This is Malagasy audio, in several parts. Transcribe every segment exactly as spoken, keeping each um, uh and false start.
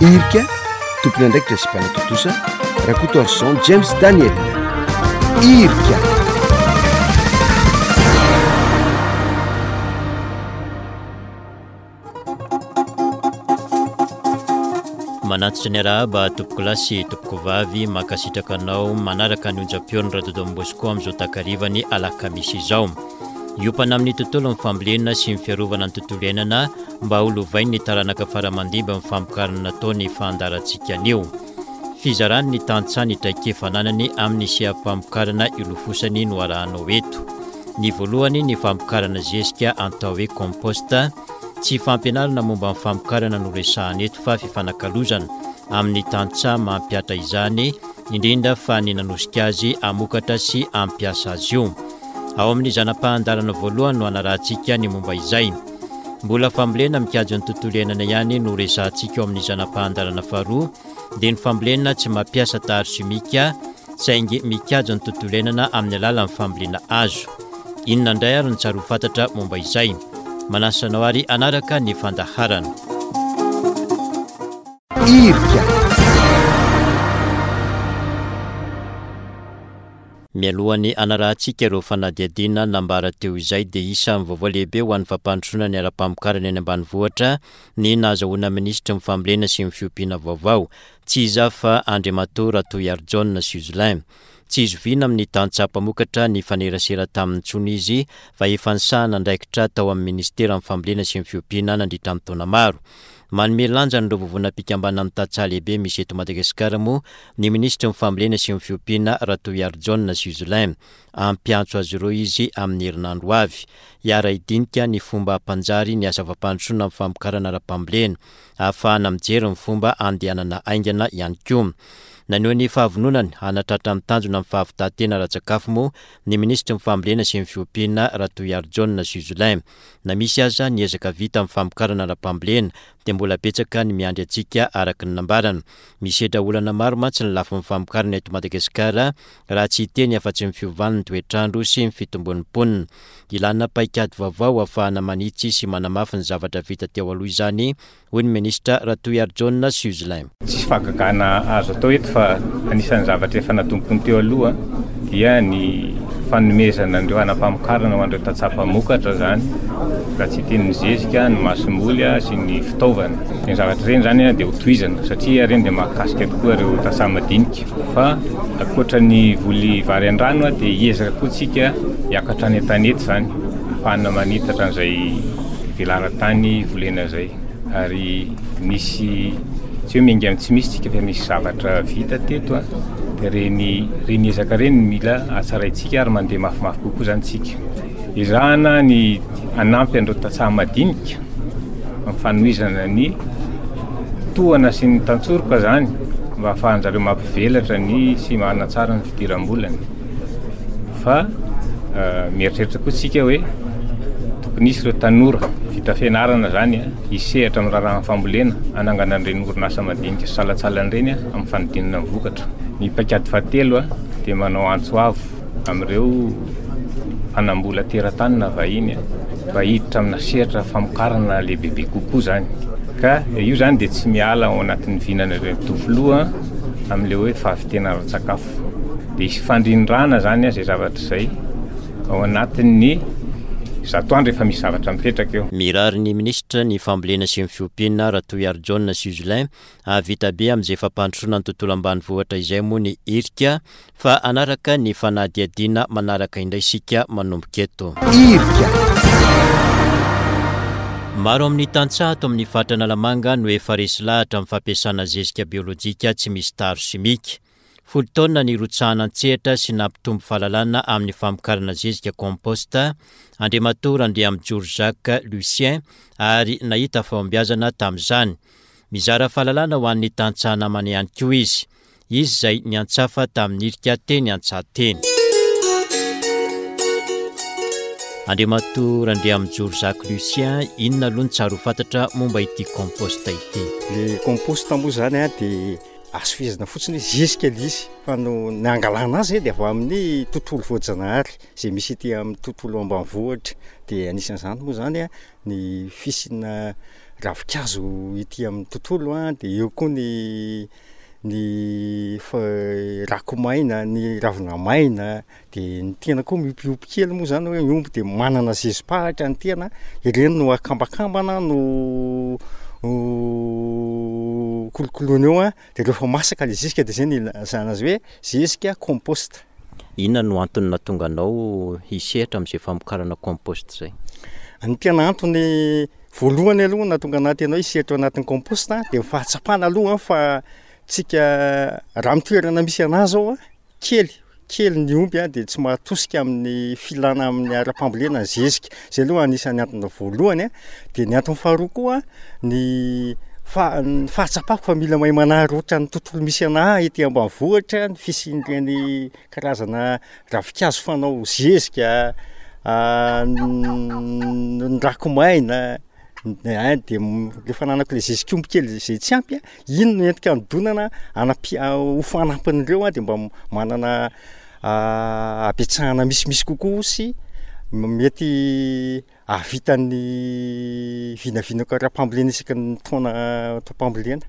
Irika, tompon'andraikitra sy mpanatontosa, Rakotoarison James Daniel. Irika. Manantitra ny arahaba tompokolahy sy tompokovavy, mankasitraka anao manaraka ny onjam-peon'ny Radio Don Bosco amin'izao takarivany alakamisy izao. Hiompana amin'ny tontolon'ny fambolena sy ny fiarovana ny tontolo iainana mba ho lovain'ny taranaka faramandimby ny famokarana natao ny fandaharantsika anio. Fizarany ny tantsaha ny traikefa ananany amin'ny seha-pamokarana ilofosany no arahanao eto. Ny voalohany ny famokarana zezika atao hoe compost. Tsy fampianarana momba ny famokarana no resahana eto fa fifanakalozana amin'ny tantsaha mampihatra izany, indrindra fa ny nanosika azy hamokatra sy hampiasa azy io. Ao amin'ny zana-pahandarana voalohany no anarahantsika ny momba izay. Mbola fambolena mikajy ny tontolo iainana ihany no resahantsika ao amin'ny zana-pahandarana faharoa, dia ny fambolena tsy mampiasa taharo simika saingy mikajy ny tontolo iainana amin'ny alalan'ny fambolena hazo. Inona indray ary no tsara ho fantatra momba izay? Manasa anao ary hanaraka ny fandaharana. Irika. Mialohan'ny hanarahantsika ireo fanadihadiana nambara teo izay dia isan'ny vaovao lehibe ho an'ny fampandrosoana ny ara-pamokarana eny ambanivohitra ny nahazahoana minisitry ny fambolena sy ny fiompiana vaovao. Tsy iza fa Andriamatoa Ratohiarijaona Suzlin. Tsy izoviana amin'ny tantsaha mpamokatra ny fanerasera taminy intsony izy fa efa nisahana andraikitra tao amin'ny ministeran'ny fambolena sy ny fiompiana nandritra ny taona maro. Manome lanja an'ireo vovonam-pikambanana amin'ny tantsaha lehibe misy eto Madagasikara moa ny minisitry ny fambolena sy ny fiompiana Ratohiarijaona Suzlin. Hampiantso azy ireo izy amin'ny herinandro avy. Hiara-hidinika ny fomba hampanjary ny asa fampandrosoana amin'ny famokarana ara-pambolena. Ahafahana mijery ny fomba handehanana haingana ihany koa. Naneho ny fahavononany hanatratra ny tanjona amin'ny fahavitan-tena ara-tsakafo moa ny minisitry ny fambolena sy ny fiompiana Ratohiarijaona Suzlin. Na misy aza ny ezaka vita amin'ny famokarana ara-pambolena dia mbola betsaka ny miandry antsika araka ny nambarana. Misedra olana maro mantsy ny lafiny famokarana eto Madagasikara raha tsy hiteny afa-tsy ny fiovan'ny toetrandro sy ny fitombon'ny mponina. Ilana paikady vaovao ahafahana manitsy sy manamafy ny zavatra vita teo aloha izany, hoy ny minisitra Ratohiarijaona Suzlin. Tsisy fahagagana azo atao eto fa anisan'ny zavatra efa natombokony teo aloha dia ny fanomezana an'ireo hanam-pamokarana ho an'ireo tantsaha mpamokatra zany, raha tsy hiteny ny zezika, ny masomboly sy ny fitaovana. Ireny zavatra ireny zany dia ho tohizana satria ireny dia mahakasika tokoa ireo tantsaha madinika. Fa ankoatra ny voly vary an-drano dia hiezaka koa tsika hiakatra any an-tanety zany, ahafahana manitatra an'izay velaran-tany volena izay. Ary misy tsy hoe miainga amin'ny tsy misy tsika fa misy zavatra vita teto a, dia ireny ireny ezaka ireny mila hatsaraintsika ary mandeha mafimafy kokoa zany tsika. Ezahana ny hanampy an'ireo tantsaha madinika amin'ny fanohizana ny tohana sy ny tantsoroka zany mba ahafahan-jareo mampivelatra ny sy manatsara ny fidiram-bolany. Fa mieritreritra koa tsika hoe tokony hisy ireo tanora vita fianarana zany hisehatra amin'ny raharahan'ny fambolena, hanangana an'ireny orinasa madinika sy salantsalany ireny amin'ny fanodinana ny vokatra. Ny paikady fahatelo dia manao antso avo amin'ireo mpanambola teratany na vahiny mba hiditra amina sehatra famokarana lehibebe kokoa zany. Ka io zany dia tsy miala ao anatin'ny vinan'ireo filoha amin'ilay hoe fahavitena ara-tsakafo. Dia hisy fandrindrana zany izay zavatra izay ao anatin'ny zato andro efa misy zavatra mipetraka eo. Mirary ny minisitra ny fambolena sy ny fiompiana Ratohiarijaona Suzlin hahavita be amin'izay fampandrosoana ny tontolo ambanivohitra izay moa ny irika fa hanaraka ny fanadihadiana manaraka indray isika manomboka eto. Irika. Maro amin'ny tantsaha ato amin'ny faritra Analamanga no efa resy lahatra amin'ny fampiasana zezika biolojika tsy misy taharo simika. Folo taona nirotsahana an-tsehatra sy nampitombo fahalalana amin'ny famokarana zezika compost Andriamatoa Randriamijoro Jacques Lucien ary nahita fahombiazana tamin'izany. Mizara fahalalana ho an'ny tantsaha namany ihany koa izy. Izy izay niantsafa tamin'ny irika teny an-tsaha teny. Andriamatoa Randriamijoro Jacques Lucien, inona aloha ny tsara ho fantatra momba ity compost ity? Le compost moa zany a dia azo fehezina fotsiny hoe zezika ilay izy fa no ny angalana azy dia avy amin'ny tontolo voajanahary izay misy ety amin'ny tontolo ambanivohitra. Dia anisan'izany moa zany a ny fisiana ravinkazo ety amin'ny tontolo a, de eo koa ny ny fa- rako-maina, ny ravina maina, de ny tena koa miompiompy kely moa zany hoe miomby de manana zezi-pahatra ny tena, ireny no akambakambana no kolokoloina eo a, de rehefa masaka le zezika de zay no ilazana azy hoe zezika compost. Inona no antony nahatonga anao hisehatra amin'izay famokarana compost zay? Ny tena antony voalohany aloha nahatonga anahy tena hoe hisehatra ao anatin'ny compost de ny fahatsapana aloha fa tsika raha am'toerana misy anahy zao a, kely kely ny omby a de tsy mahatosika amin'ny filana amin'ny ara-pambolena ny zezika, zay aloha anisan'ny antony voalohany a. De ny antony faharoa koa ny fa- ny fahatsapako fa mila mahay manararaotra ny tontolo misy anahy ety ambanivohitra ny fisian'ireny karazana ravinkazo fanao zezika, ny rako-maina, ein de le fananako le zezik'omby kely zay tsy ampy a, iny no entiko anodonana anampi- ho fanampin'ireo a de mba manana habetsahana misimisy kokoa sy mety hahavita ny vinavinako ara-pambolena isaky ny taona taom-pambolena.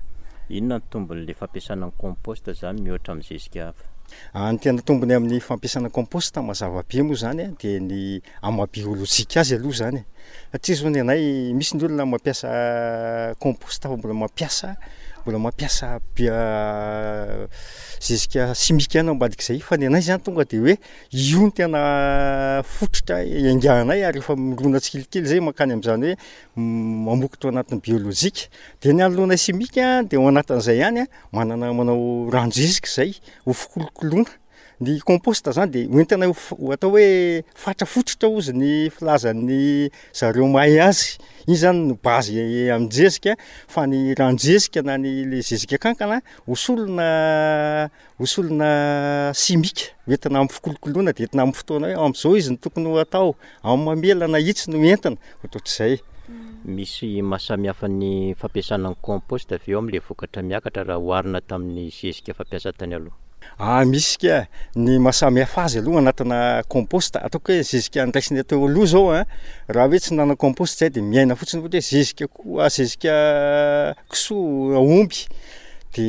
Inona ny tombon'le fampiasana ny compost zany mihoatra amin'ny zezika hafa? Ny tena tombony amin'ny fampiasana compost mazava be moa zany a de ny amaha-biôlôjika azy aloha zany e, satria zao ny anay misy ny olona mampiasa compost fa mbola mampiasa mbola mampiasa bia- zezika simika ihany ao ambadik'izay, fa ny anay zany tonga de hoe io no tena fototra iainganay ary efa mirona tsikelikely zay mankany am'zany hoe mamokatra ao anatin'ny biôlôjika. De ny anoloanay simika de ao anatin'izay ihany a manana manao ranon-jezika zay ho fikolokoloana. Ny compost zany de hoentina ho f- ho atao hoe fatra fototra hozy ny filazan'ny zareo mahay azy, iny zany no base amin-jezika fa ny ranon-jezika na ny le zezika kankana ho solona ho solona simika hoentina am'fikolokoloana de entina am'fotoana hoe am'zao izy no tokony ho atao, am'mamelana itsy no entina, ohatrohatr'izay. Misy mahasamihafa ny fampiasana ny compost avy eo am'le vokatra miakatra raha oharina tamin'ny zezika fampiasa tany aloha? Ah misy ka, ny mahasamihafa azy aloha anatina compost, ataoko hoe zezika ndraisina teo aloha zao a, raha hoe tsy nanao compost zay de miaina fotsiny ohatra hoe zezika ko- zezika kisoa, aomby de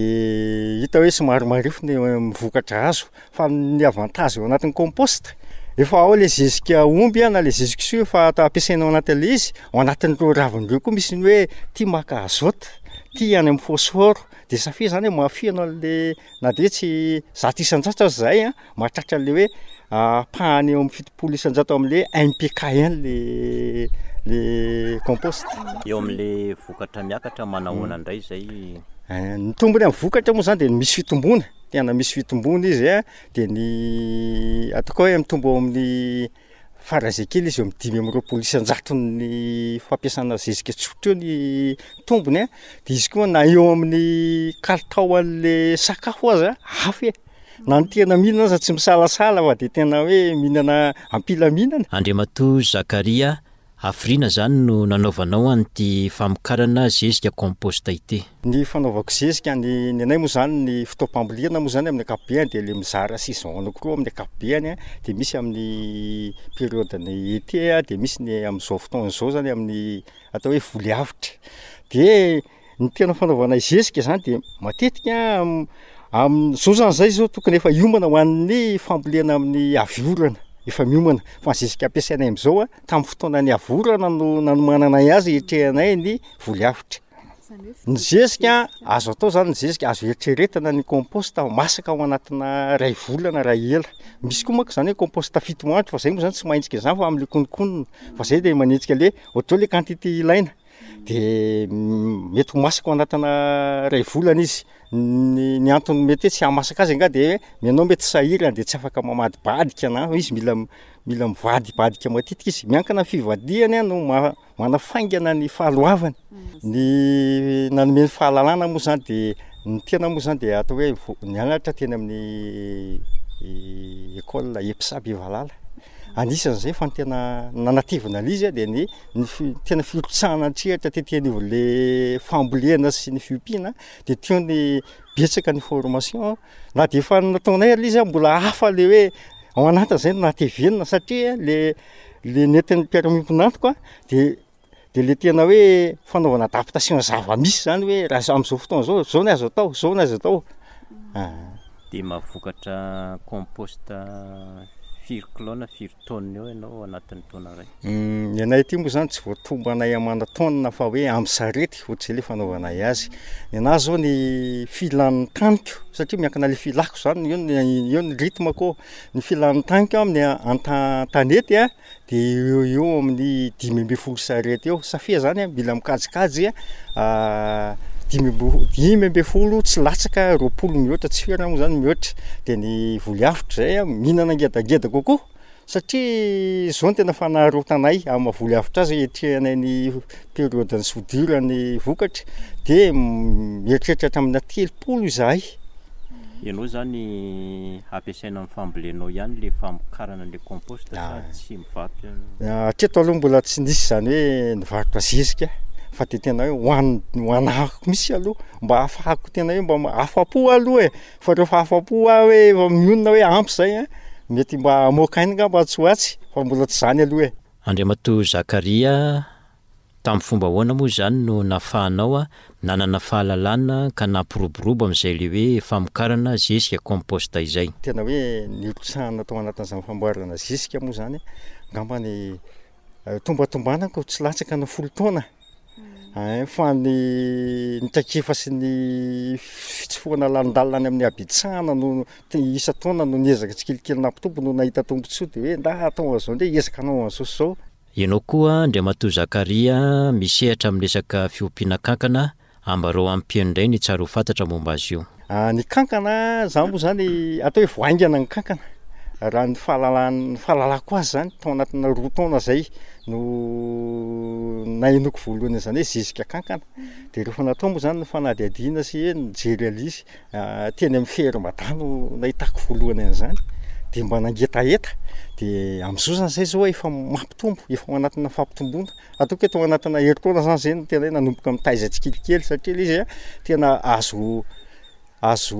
hita hoe somary marefo ny vokatra azo fa ny avantage ao anatin'ny compost efa ao le zezika omby a na le zezika kisoa efa ata- ampiasaina ao anatin'le izy, ao anatin'ireo raviny reo koa misy ny hoe ty maka azote, ty any am'phosphore de ça fait zany hoe mahafeno an'le na de hoe tsy zato isan-jato aza zahay a mahatratra an'le hoe ampahany eo am'fitopolo isan-jato am'le N P K ihany le le compost. Eo am'le vokatra miakatra manahoana indray zay? Ny tombony am'vokatra moa zany de misy fitomboana, tena misy fitomboana izy a, de ny ataoko hoe mitombo eo amin'ny faran'izay kely izy eo am'dimy amby roapolo isan-jaton'ny fampiasana zezika tsotra eo ny tombony a, de izy koa na eo amin'ny kalitao an'le sakafo aza hafa e, na ny tena mihinana aza tsy misalasala fa de tena hoe mihinana am-pilaminana. Andriamatoa Zakaria, hafiriana zany no nanaovanao an'ity famokarana zezika compost ity? Ny fanaovako zezika ny ny anay moa zany ny fotoam-pambolena moa zany amin'ny ankapobeny de le mizara saison anankiroa amin'ny ankapobeny a, de misy amin'ny période-n'ny été a, de misy ny am'zao fotoana zao zany amin'ny atao hoe voly avotra. De ny tena fanaovanay zezika zany de matetika am- zao zany zay zao tokony efa hiomana ho an'ny fambolena amin'ny avy orana, efa miomana fa ny zezika ampiasainay am'zao a tamin'ny fotoanan'ny avy orana no nanomananay azy hiatrehanay ny voly avotra. Ny zezika azo atao zany ny zezika azo eritreretina ny compost masaka ao anatina ray volana raha ela. Misy koa manko zany hoe compost fito andro fa zay moa zany tsy manenjika an'zany fa am'le kononkonona fa zay de manenjika le ohatr'zao le quantité ilaina de mety ho masaka ao anatina ray volana izy. Ny ny antony mety hoe tsy hahamasaka azy angaha de ianao mety sahirana de tsy afaka mamadibadika na izy mila mila mivadibadika matetika izy, miankina am'fivadihany a no ma- manafaingana ny fahaloavany. Ny nanome ny fahalalana moa zany de ny tena moa zany de atao hoe vo- nianatra teny amin'ny école EPSA Bevalala, anisan'zay fa ny tena nanatevina an'izy a de ny ny fi- tena firotsahana an-tsehatra tety anivon'le fambolena sy ny fiompiana de teo ny betsaka ny formation na de efa nataonay ary le izy a mbola hafa le hoe ao anatin'zay no nahatevenina satria le le nentin'ny mpiara-miombon'antoka de De le tena hoe fanaovana adaptation zava-misy zany hoe raha am'zao fotoana zao, zao ny azo atao, zao ny azo atao. De mahavokatra compost firy kilao na firy taonina eo ianao anatin'ny taona iray? Ny anay aty moa zany tsy voatombanay amana taonina fa hoe am'sarety ohatr'izay le fanaovanay azy. Ny anahy zao ny filan'ny taniko satria miankina le filako zany eo ny eo ny rythme-ko, ny filan'ny taniko amin'ny anta- an-tanety a de eo ho eo amin'ny dimy amby folo sarety eo, safia zany a mila mikajikajy a dimy amby dimy amby folo tsy latsaka roapolo mihoatra, tsy ferana moa zany mihoatra. De ny voly avotra zay a mihinana ngedangeda kokoa satria zao no tena fanaraotanay am'maha-voly avotra azy hiatrehanay ny période-n'ny soudure ny vokatra de mieritreritra hatraminà telopolo izahay. Ianao zany ampiasaina am'fambolenao ihany le famokarana an'le compost sa tsy mivarotra? Hatreto aloha mbola tsy nisy zany hoe nivarotra zezika fa de tena hoe ho an- ho anahako mihitsy aloha mba ahafahako tena hoe mba ma- afa-po aloha e, fa rehefa afa-po aho hoe efa mionona hoe ampy zay a, mety mba hamoaka aina angamba atsy ho atsy fa mbola tsy zany aloha e. Andriamatoa Zakaria, tamin'ny fomba ahoana moa zany no nahafahanao a nanana fahalalana ka nampiroborobo amin'izay le hoe famokarana zezika compost izay? Tena hoe nirotsahana tao anatin'izany famboarana zezika moa zany angamba ny tombatombanako tsy latsaka ny folo taona. Ein fa ny ny traikefa sy ny fitsofohana lalindalina any amin'ny habetsahana no te isan-taona no niezaka tsikelikely nampitombo no nahita tombontsoa de hoe nda atao an'izao ndray hiezaka hanao an'izao sy zao. Ianao koa Andriamatoa Zakaria misehatra amin'ny resaka fiompiana kankana, ambarao ampieno indray ny tsara ho fantatra momba azy io. Ny kankana zany moa zany atao hoe vao haingana ny kankana raha ny fahalalan- fahalalako azy zany tao anatina roa taona zay no nahenoako voalohany an'zany hoe zezika kankana. De rehefa natao moa zany ny fanadihadiana sy hoe nijery an'izy teny am'ferme tany no nahitako voalohany an'zany de mba nangetaheta de am'zao zany zay zao efa mampitombo, efa ao anatina fampitomboana, ataoko hoe tao anatina herintaona zany zay no tena hoe nanomboka mitaiza tsikelikely satria le izy a tena azo azo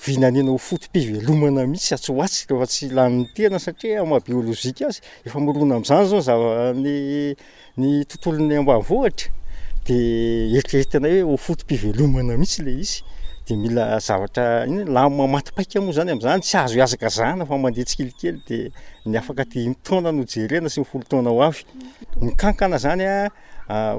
vinaniana ho foto-pivelomana mihitsy atsy ho atsy rehefa tsy lanin'ny tena satria am'maha-biôlôjika azy efa mirona am'zany zao zava- ny ny tontolon'ny ambanivohitra de eritreretinay hoe ho foto-pivelomana mihitsy le izy de mila zavatra inona lamina maty paika moa zany am'zany tsy azo ihazakazahana fa mandeha tsikelikely de ny afaka dimy taona no jerena sy ny folo taona ho avy. Ny kankana zany a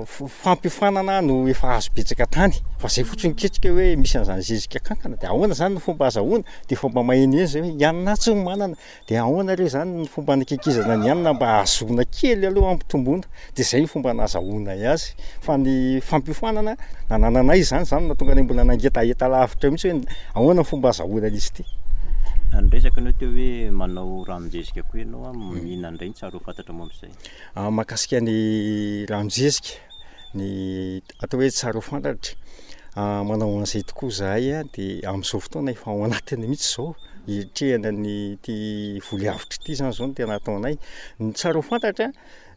f- fampiofanana no efa azo betsaka tany fa zay fotsiny niketrika hoe misy an'zany zezika kankana de ahoana zany ny fomba azahoana de efa mba mahenoheno zay hoe i anona atsy no manana de ahoana re zany ny fomba anakekezana ny hanina mba ahazoana kely aloha ampitomboana de zay ny fomba nahazahoanay azy fa ny fampiofanana nanananay zany zany nahatonga anay mbola nangetaheta lavitra mihitsy hoe ahoana ny fomba azahoana an'izy ity. Niresaka anao teo hoe manao ranon-jezika koa ianao a, inona indray ny tsara ho fantatra momba izay? Mahakasika ny ranon-jezika, ny atao hoe tsara ho fantatra, manao an'izay tokoa zahay a de am'zao fotoana efa ao anatiny mihitsy zao hiatrehana ny ty voly avotra ity zany zao no tena ataonay. Ny tsara ho fantatra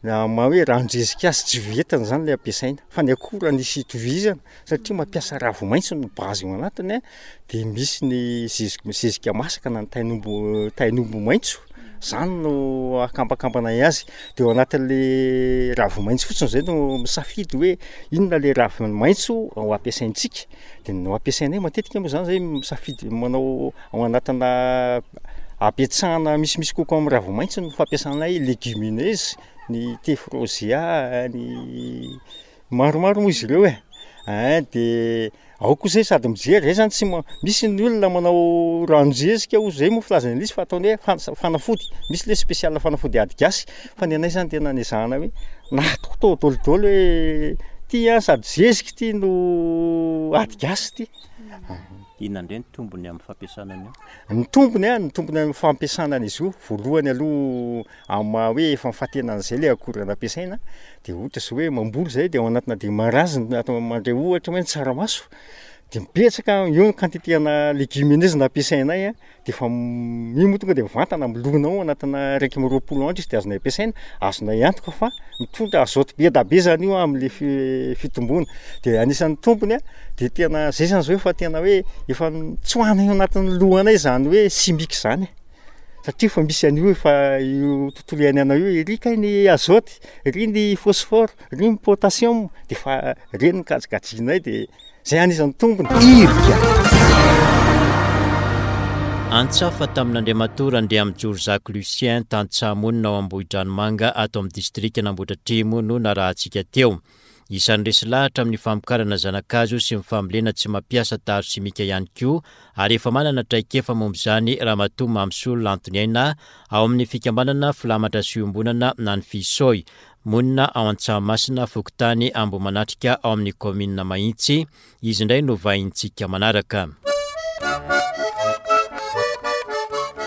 maha hoe ranon-jezika azy tsy vetiny zany le ampiasaina fa ny akora nisy itovizana satria mampiasa ravi-maitso no base ao anatiny a de misy ny zezika zezika masaka na ny tain'omby tain'omby maitso zany no akambakambanay azy de ao anatin'le ravi-maitso fotsiny zay no misafidy hoe inona le ravi-maitso ho ampiasaintsika de no ampiasainay matetika moa zany zay misafidy manao ao anatina apetsahana misimisy kokoa am'ravi-maitso ny fampiasanay légumineuse, ny tephrosia, ny maromaro moa izy ireo e, ein de ao koa zay sady mijery zay zany tsy ma- misy ny olona manao ranon-jezika hozy zay moa filazana an'izy fa ataony hoe fan- fanafody, misy le spécial fanafody ady gasy fa ny anay zany tena nezahana hoe natao daholo hoe ty a sady zezika ty no ady gasy ty. Inona indray ny tombony amin'ny fampiasana an'io? Ny tombony a, ny tombony am'fampiasana an'izy io voalohany aloha am'maha hoe efa mifantenan'zay le akora nampiasaina de ohatra zao hoe mamboly zay de ao anatina démarrage ny atao mandray ohatra hoe ny tsaramaso de betsaka eo ny quantité ana légumineuse nampiasainay a de efa io moa tonga de mivantana milona ao anatina raiky amby roapolo andro izy de azonay ampiasaina, azonay antoka fa mitondra azote be da be zany io am'le fi- fitomboana de anisan'ny tombony a de tena zay zany zao efa tena hoe efa notsoahanay ao anatin'ny lohanay zany hoe simika zany e. Satria efa misy an'io efa io tontolo iainana io, ery kay ny azote, ery ny phosphore, ery ny potassium, de efa reny ny kajikajianay de zay anisan'ny tombony. Irika. Antsafa tamin'Andriamatoa Randriamijoro Jacques Lucien, tantsaha monina ao Ambohidranomanga ato amin'ny distrikan'Ambohidratrimo no narahantsika teo. Isan'ny resy lahatra amin'ny famokarana zana-kazo sy ny fambolena tsy mampiasa taro simika ihany koa ary efa manana traikefa momba izany Ramatoa Mamisoa Lantoniaina ao amin'ny fikambanana Filamatra sy Iombonana na ny Fisoy, monina ao Antsahamasina, fokontany Ambohimanatrika ao amin'ny kaominina Mahitsy. Izy indray no vahintsika manaraka.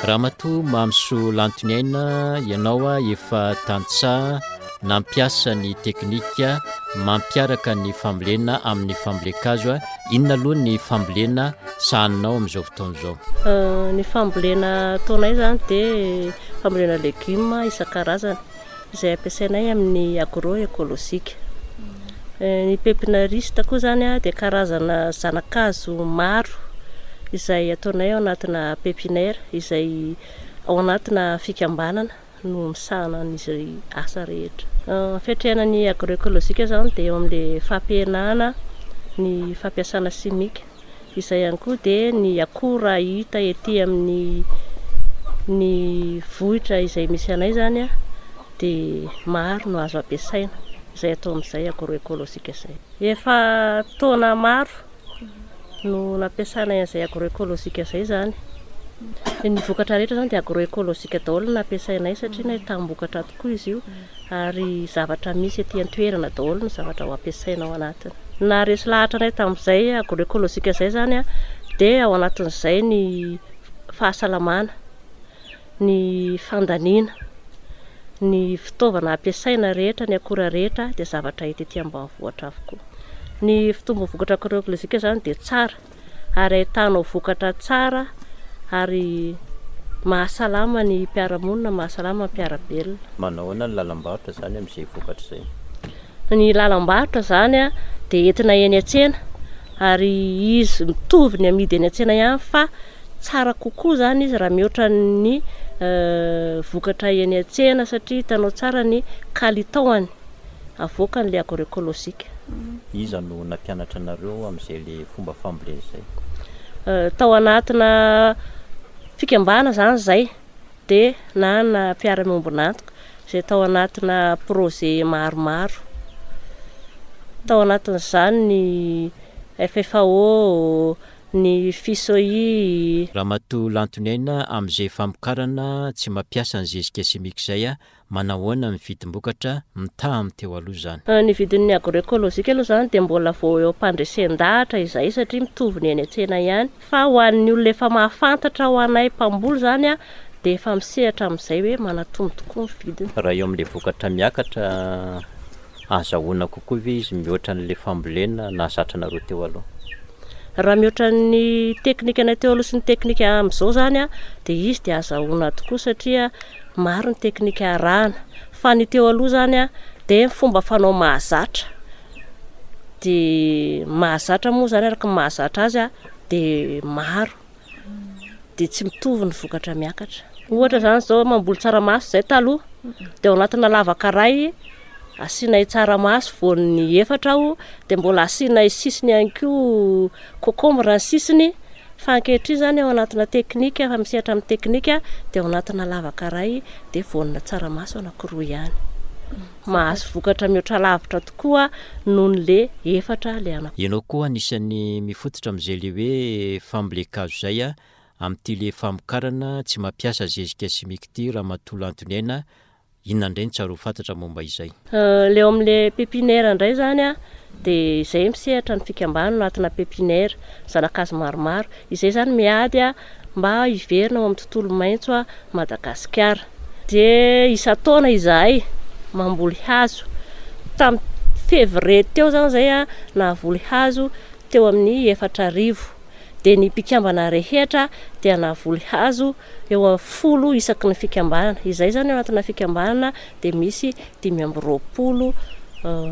Ramatoa Mamisoa Lantoniaina, ianao efa tantsaha nampiasa ny teknika mampiaraka ny fambolena amin'ny fambolen-kazo. Inona aloha ny fambolena sahaninao amin'izao fotoana izao? Ny fambolena ataonay izany dia fambolena legioma isan-karazany izay ampiasainay amin'ny agroekolojika. Ny pépinariste koa izany dia karazana zana-kazo maro izay ataonay ao anatina pépinière izay ao anatina fikambanana no misahana an'izay asa rehetra. Fiatrehana ny agroekolojika izany dia eo amin'ilay fampihenana ny fampiasana simika, izay ihany koa dia ny akora hita ety amin'ny ny vohitra izay misy anay izany dia maro no azo ampiasaina izay atao amin'izay agroekolojika izay. Efa taona maro no nampiasanay an'izay agroekolojika izay izany. Ny vokatra rehetra izany dia agroekolojika daholo no nampiasainay satria nahitam-bokatra tokoa izy io ary zavatra misy ety an-toerana daholo ny zavatra ho ampiasaina ao anatiny. Naharesy lahatra anay tamin'izay agroekolojika izay izany dia ao anatin'izay ny fahasalamana, ny fandaniana, ny fitaovana ampiasaina rehetra, ny akora rehetra dia zavatra hita ety ambanivohitra avokoa. Ny fitombon'ny vokatra agroekolojika izany dia tsara ary ahitanao vokatra tsara ary mahasalama ny mpiara-monina, mahasalama ny mpiara-belona. Manao ahoana ny lalam-barotra izany amin'izay vokatra izay? Ny lalam-barotra izany dia entina eny an-tsena ary izy mitovy ny amidy eny an-tsena ihany fa tsara kokoa izany izy raha mihoatra ny vokatra eny an-tsena satria hitanao tsara ny kalitaony avoakan'ilay agroekolojika. Iza no nampianatra anareo amin'izay le fomba fambolena izay? Tao anatina fikambanana izany izay dia nanana mpiara-miombon'antoka izay tao anatina projet maromaro. Tao anatin'izany ny F F A O, ny F I S O I. Ramatoa Lantoniaina, amin'izay famokarana tsy mampiasa ny zezika simika izay, manahoana ny vidim-bokatra mitaha amin'ny teo aloha izany? Ny vidin'ny agroekolojika aloha izany dia mbola vao eo am-pandresen-dahatra izay satria mitovy ny eny an-tsena ihany. Fa ho an'ny olona efa mahafantatra ho anay mpamboly izany dia efa misehatra amin'izay hoe manatombo tokoa ny vidiny. Raha eo amin'ilay vokatra miakatra, azahoana kokoa ve izy mihoatra an'ilay fambolena nahazatra anareo teo aloha? Raha mihoatra ny teknika anay teo aloha sy ny teknika amin'izao izany dia izy dia azahoana tokoa satria maro ny teknika arahana. Fa ny teo aloha izany dia ny fomba fanao mahazatra. Dia mahazatra moa izany araka ny mahazatra azy dia maro. Dia tsy mitovy ny vokatra miakatra. Ohatra izany izao mamboly tsaramaso izay taloha dia ao anatina lavaka iray asianay tsaramaso voan'ny efatra aho dia mbola asianay sisiny ihany koa kokombra ny sisiny. Fa ankehitriny izany ao anatina teknika, efa misehatra amin'ny teknika dia ao anatina lavaka iray dia voanina tsaramaso anankiroa ihany. Mahazo vokatra mihoatra lavitra tokoa noho ny le efatra le anankiroa. Ianao koa anisan'ny mifototra amin'izay le hoe fambolen-kazo izay a, amin'ity le famokarana tsy mampiasa zezika simika ity Ramatoa Lantoniaina, inona indray ny tsara ho fantatra momba izay? Le eo amin'le pépinière indray izany a, dia izay misehatra ny fikambanana anatina pépinière, zana-kazo maromaro. Izay izany miady a mba hiverina ao amin'ny tontolo maitso a Madagasikara. Dia isan-taona izahay mamboly hazo. Tamin'ny février teo izany izay a nahavoly hazo teo amin'ny efatra arivo. Dia ny mpikambana rehetra dia nahavoly hazo eo amin'ny folo isaky ny fikambanana. Izay izany ao anatina fikambanana dia misy dimy amby roapolo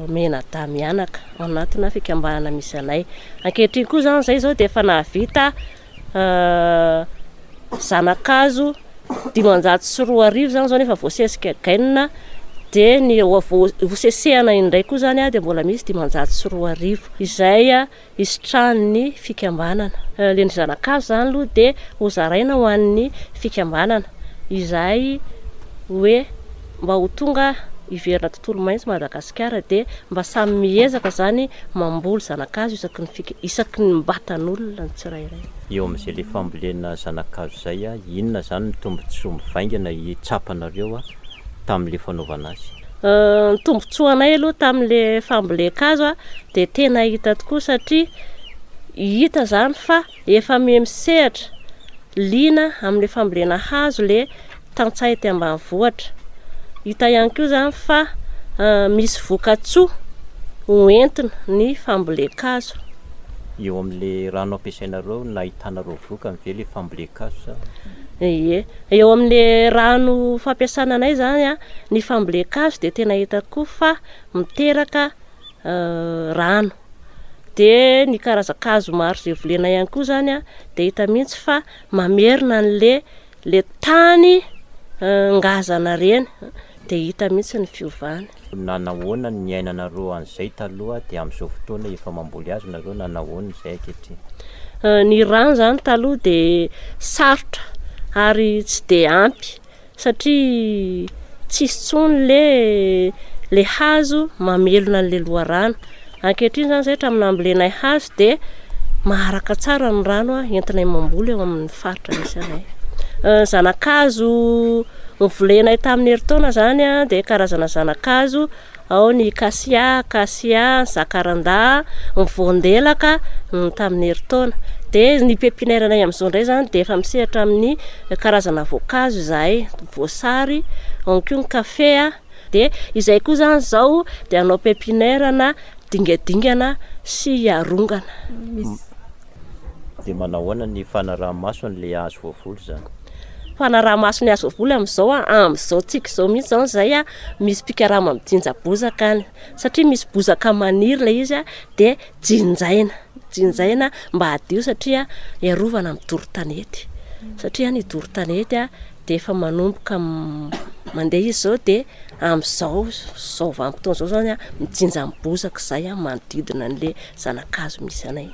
menadahy mianaka ao anatina fikambanana misy anay. Ankehitriny koa izany izay izao dia efa nahavita zana-kazo Dimanjato sy roa arivo zany zao nefa voasesika gainina, dia ny hosesehana indray koa zany a dia mbola misy dimanjato sy roa arivo izay isitrahan'ny fikambanana. Le ny zanakazo zany aloha dia hozaraina ho an'ny fikambanana izay hoe mba ho tonga hiverina tontolo maitso Madagasikara, dia mba samy miezaka zany mamboly zanakazo isaky ny fika, isaky ny mbatan'olona ny tsirairay. Eo amin'izay le fambolena zanakazo izay a, inona zany ny tombontsoa mivaingana hitsapanareo a tamin'le fanaovana azy? Ny tombontsoanay aloha tamin'le fambolen-kazo a dia tena hita tokoa, satria hita zany fa efa miha-misehatra liana amin'le fambolena hazo le tantsaha ety ambanivohitra. Hita ihany koa zany fa misy vokatsoa hoentina ny fambolen-kazo. Eo amin'le rano ampiasainareo, nahitanareo vokany ve le fambolen-kazo sa? Ie, eo amin'le rano fampiasana anay zany a, ny fambolen-kazo dia tena hita koa fa miteraka rano. Dia ny karazan-kazo maro izay volena ihany koa zany a, dia hita mihitsy fa mamerina an'le le tany ngazana reny, dia hita mihitsy ny fiovany. Nanahoana ny niainanareo an'izay taloha dia amin'izao fotoana efa mamboly hazo nareo, nanahoana izay ankehitriny? Ny rano zany taloha dia sarotra ary tsy dia ampy, satria tsisy intsony le le hazo mamelona an'le loharano. Ankehitriny zany izay hatramin'ny nambolenay hazo dia maharaka tsara ny rano entinay mamboly eo amin'ny faritra misy anay. Zanakazo novolenay tamin'ny herintaona zany a dia karazana zanakazo, ao ny kasia, kasia, zakaranda, ny voandelaka ny tamin'ny herintaona. Dia ny pépinière anay amin'izao indray zany dia efa misehatra amin'ny karazana voankazo izahay, voasary, ao koa ny kafe a. Dia izay koa zany izao dia hanao pépinière na dingadingana sy arongana. Dia manahoana ny fanaraha-maso an'ilay hazo voavoly zany? Fanaraha-maso ny hazo voavoly amin'izao a, amin'izao tsika izao mihitsy zany izay a, misy mpikarama mijinja bozaka any, satria misy bozaka maniry ilay izy a, dia jinjaina, jinjaina mba hadio, satria hiarovana amin'ny doro tanety. Satria ny doro tanety a dia efa manomboka mandeha izy izao, dia amin'izao izao vanim-potoana izao zany a, mijinja ny bozaka izay a manodidina an'ilay zanakazo misy anay.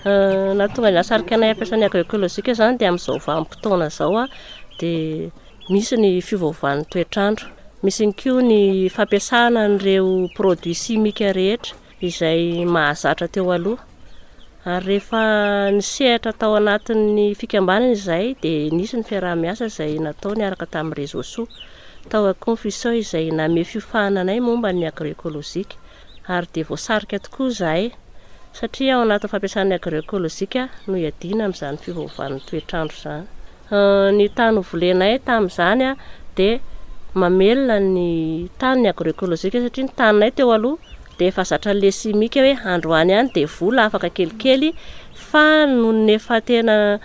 Nahatonga ny nahasarika anay hampiasa ny agroekolojika zany dia amin'izao vanim-potoana izao a dia misy ny fiovaovan'ny toetr'andro, misy ihany koa ny fampiasana an'ireo produits chimiques rehetra izay mahazatra teo aloha. Ary rehefa nisehatra tao anatin'ny fikambanana izay dia nisy ny fiaraha-miasa izay natao niaraka tamin'ny réseau soa tao Confusion izay nanome fiofanana anay momba ny agroekolojika, ary dia voasarika tokoa izahay satria ao anatin'ny fampiasana ny agroekolojika no hiadiana amin'izany fiovaovan'ny toetr'andro izany. Ny tany novolenay tamin'izany a dia mamelona ny tany ny agroekolojika, satria ny taninay teo aloha dia efa zatra an'ilay simika hoe androany ihany dia vola afaka kelikely, fa noho ny efa tena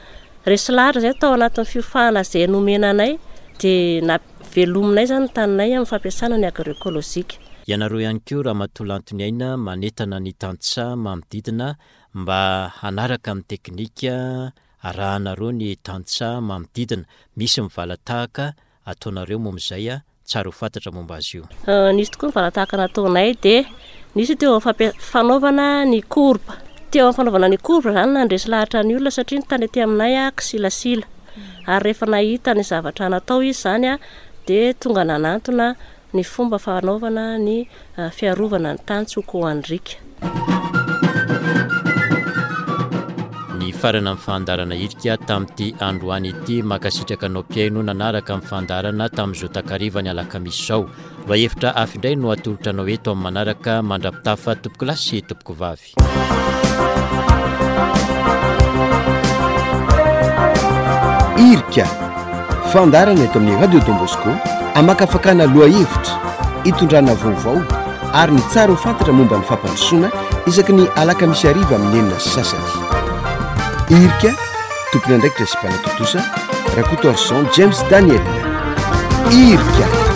resy lahatra izay tao anatin'ny fiofanana izay nomena anay dia navelominay zany ny taninay amin'ny fampiasana ny agroekolojika. Ianareo ihany koa Ramatoa Lantoniaina manentana ny tantsaha manodidina mba hanaraka ny teknika arahanareo ny tantsaha manodidina. Misy ny valatahaka ataonareo momba izay a, tsara ho fantatra momba azy io. Nisy tokoa ny valatahaka nataonay, dia nisy teo amin'ny fanaovana ny courbe. Teo amin'ny fanaovana ny courbe zany nandresy lahatra ny olona, satria ny tany aty aminay a kisilasila. Ary rehefa nahita ny zavatra natao izy zany a dia tonga nanantona ny fomba fanaovana ny fiarovana ny tany tsy ho kohandrika. Ny farana amin'ny fandaharana irika tamin'ity androany ity, mankasitraka anao mpihaino nanaraka ny fandaharana tamin'izao takariva ny alakamisy izao. Lohahevitra hafa indray no atolotra anao eto amin'ny manaraka, mandra-pitafa tompoko lahy sy tompoko vavy. Irika, fandaharana eto amin'ny Radio Don Bosco, amakafakana lohahevitra, hitondrana vaovao ary ny tsara ho fantatra momba ny fampandrosoana isaky ny alakamisy hariva amin'ny enina sy sasany. Irika, tompon'andraikitra sy mpanatontosa, Rakotoarison James Daniel. Irika.